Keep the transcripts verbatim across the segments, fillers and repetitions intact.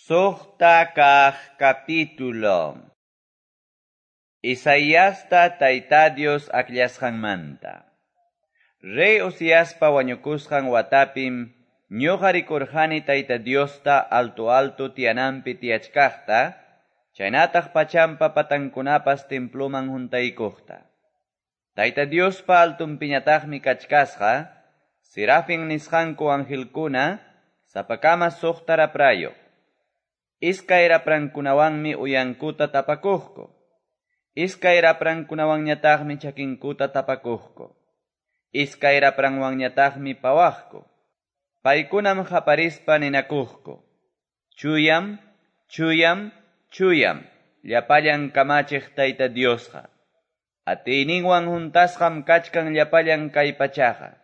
Suqta kaq capítulo. Isaiasta Tayta Dios akllasqanmanta. Rey Uziaspa wañukusqan watapim ñuqa rikurqani Tayta Diosta alto-alto tiyananpi tiyachkaqta, chaynataq pachanpa patankunapas temploman huntaykuqta. Tayta Diospa altunpiñataqmi kachkasqa, serafin nisqanku angelkuna, sapakama suqta raprayuq. Iskay raprankunawanmi uyankuta tapakuqku. Iskay raprankunawanñataqmi chakinkuta tapakuqku. Iskay rapranwanñataqmi pawaqku. Paykunam qaparispa ninakuqku. Chuyam, chuyam, chuyam, llapallan kamachiq Tayta Diosqa. Atiyninwan huntasqam kachkan llapallan kay pachaqa.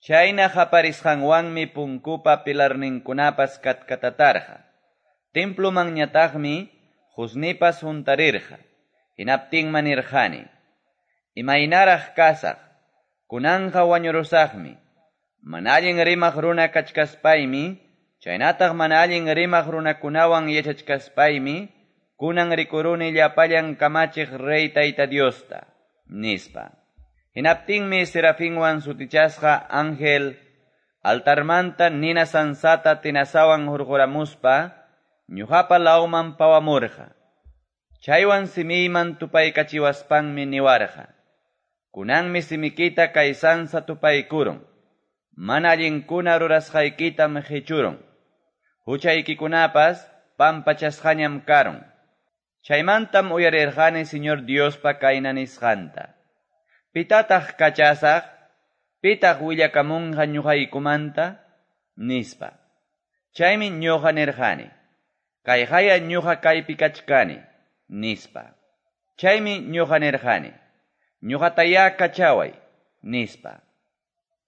Chayna qaparisqanwanmi punkupa pilarninkunapas katkatatarqa. Templomanñataqmi qusnipas huntarirqa. Hinaptinmi nirqani: Imaynaraq kasaq, kunanqa wañurusaqmi. Mana allin rimaq runa kachkaspaymi, chaynataq mana allin rimaq runakunawan yachachkaspaymi, kunan rikuruni llapallan kamachiq rey Tayta Diosta, nispa. Hinaptinmi serafinwan sutichasqa ángel altarmanta nina sansata tenazawan hurquramuspa, ñuqapa lawman pawamurqa. Chaywan simiyman tupaykachiwaspanmi niwarqa: Kunanmi simikita kay sansa tupaykurun. Mana allinkuna rurasqaykitam qichurun. Huchaykikunapas pampachasqañam karun. Chaymantam uyarirqani Señor Diospa kayna nisqanta: Pitataq kachasaq? Pitaq willakamunqa ñuqaykumanta? Nispa. Chaymi ñuqa nirqani: Kayqaya ñuqa kaypi kachkani, nispa. Chaymi ñuqa nirqani: Ñuqatayá kachaway, nispa.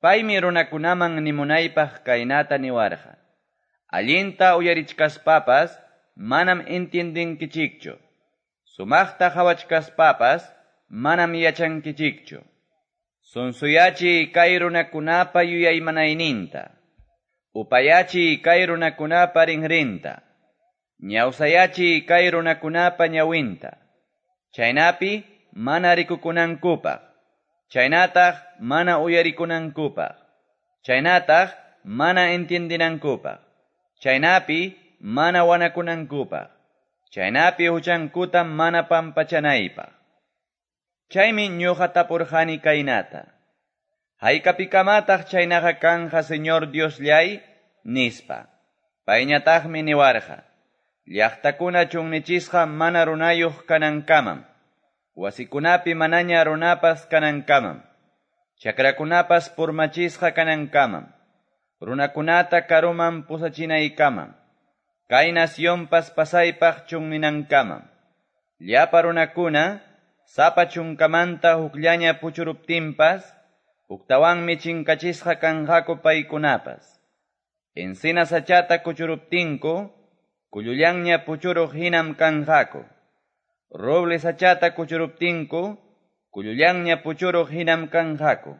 Paymi runakunaman nimunaypaq kaynata niwarqa: Allinta uyarichkaspapas manam entiendenkichikchu. Sumaqta qhawachkaspapas manam yachankichikchu. Sunsuyachiy kay runakunapa yuyaymanayninta. Upayachiy kay runakunapa rinrinta. Ñawsayachiy kay runakunapa ñawinta. Chaynapi mana rikukunankupaq. Chaynataq mana uyarikunankupaq. Chaynataq mana entiendinankupaq. Chaynapi mana wanakunankupaq. Chaynapi huchankuta mana pampachanaypaq. Chaymi ñuqa tapurqani kaynata: Haykapikamataq chaynaqa kanja Señor Diosllay, nispa. Payñataqmi niwarqa: Llaqtakuna chunnichisqa mana runayuq kanankamam. Wasikunapi manaña runapas kanankamam. Chakrakunapas purmachisqa kanankamam. Runakunata karuman pusachinaykamam. Kay nacionpas pasaypaq chunninankamam. Llapa runakuna sapa chunkamanta hukllaña puchuruptinpas, huktawanmi chinkachisqa kanqaku paykunapas. Encina sachata kuchuruptinku, kullullanña puchuruq hinam kanqaku. Roble sachata kuchuruptinku, kullullanña puchuruq hinam kanqaku.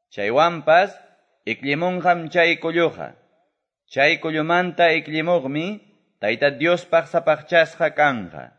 Chaywanpas, iklimunqam chay kulluqa. Chay kullumanta iklimuqmi, Tayta Diospaq sapaqchasqa kanqa.